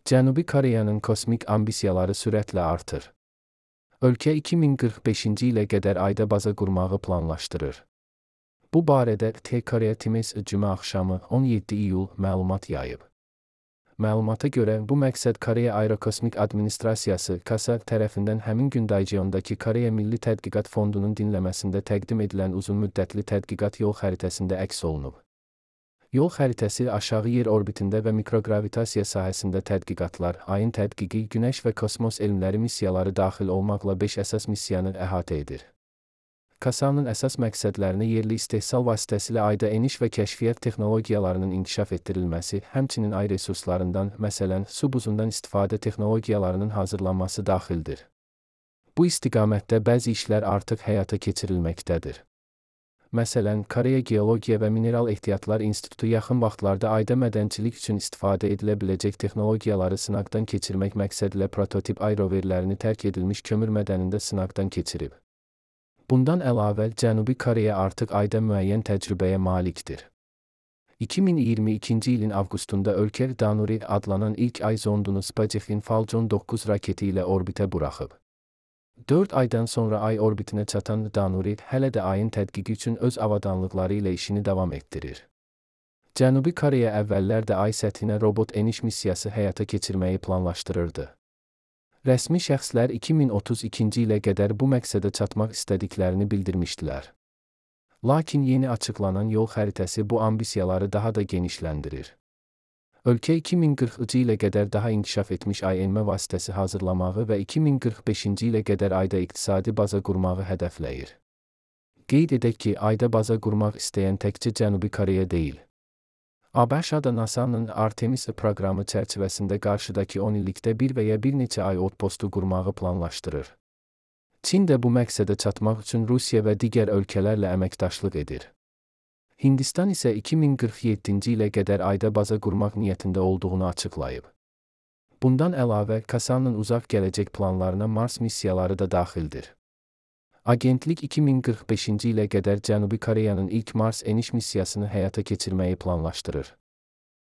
Cənubi Koreyanın kosmik ambisiyaları sürətlə artır. Ölkə 2045-ci ilə qədər ayda baza qurmağı planlaşdırır. Bu barədə T-Korea Times cümə axşamı 17 iyul məlumat yayıb. Məlumata görə, bu məqsəd Koreya Aerokosmik Administrasiyası (KASA) tərəfindən həmin gün Daejeondakı Koreya Milli Tədqiqat Fondunun dinləməsində təqdim edilən uzunmüddətli tədqiqat yol xəritəsində əks olunub. Yol xəritəsi aşağı yer orbitində və mikrogravitasiya sahəsində tədqiqatlar, ayın tədqiqi, Günəş və kosmos elmləri missiyaları daxil olmaqla 5 əsas missiyanı əhatə edir. KASA-nın əsas məqsədlərini yerli istehsal vasitəsilə ayda eniş və kəşfiyyat texnologiyalarının inkişaf etdirilməsi, həmçinin ay resurslarından, məsələn, su buzundan istifadə texnologiyalarının hazırlanması daxildir. Bu istiqamətdə bəzi işlər artıq həyata keçirilməkdədir. Məsələn, Koreya Geologiya və Mineral Ehtiyatlar İnstitutu yaxın vaxtlarda ayda mədənçilik üçün istifadə edilə biləcək texnologiyaları sınaqdan keçirmək məqsədilə prototip ay roverlərini tərk edilmiş kömür mədənində sınaqdan keçirib. Bundan əlavə, Cənubi Koreya artıq ayda müəyyən təcrübəyə malikdir. 2022-ci ilin avqustunda ölkə Danuri adlanan ilk ay zondunu SpaceX'in Falcon 9 raketi ilə orbitə buraxıb. 4 aydan sonra ay orbitinə çatan Danuri hələ də ayın tədqiqi üçün öz avadanlıqları ilə işini davam etdirir. Cənubi Koreya əvvəllər də ay səthinə robot eniş missiyası həyata keçirməyi planlaşdırırdı. Rəsmi şəxslər 2032-ci ilə qədər bu məqsədə çatmaq istədiklərini bildirmişdilər. Lakin yeni açıqlanan yol xəritəsi bu ambisiyaları daha da genişləndirir. Ölkə 2040-cı ilə qədər daha inkişaf etmiş ay enmə vasitəsi hazırlamağı və 2045-ci ilə qədər ayda iqtisadi baza qurmağı hədəfləyir. Qeyd edək ki, ayda baza qurmaq istəyən təkcə Cənubi Koreya deyil. ABŞ-da NASA-nın Artemis proqramı çərçivəsində qarşıdakı 10 illikdə bir və ya bir neçə ay outpostu qurmağı planlaşdırır. Çin də bu məqsədə çatmaq üçün Rusiya və digər ölkələrlə əməkdaşlıq edir. Hindistan isə 2047-ci ilə qədər ayda baza qurmaq niyyətində olduğunu açıqlayıb. Bundan əlavə, KASA-nın uzaq gələcək planlarına Mars missiyaları da daxildir. Agentlik 2045-ci ilə qədər Cənubi Koreyanın ilk Mars eniş missiyasını həyata keçirməyi planlaşdırır.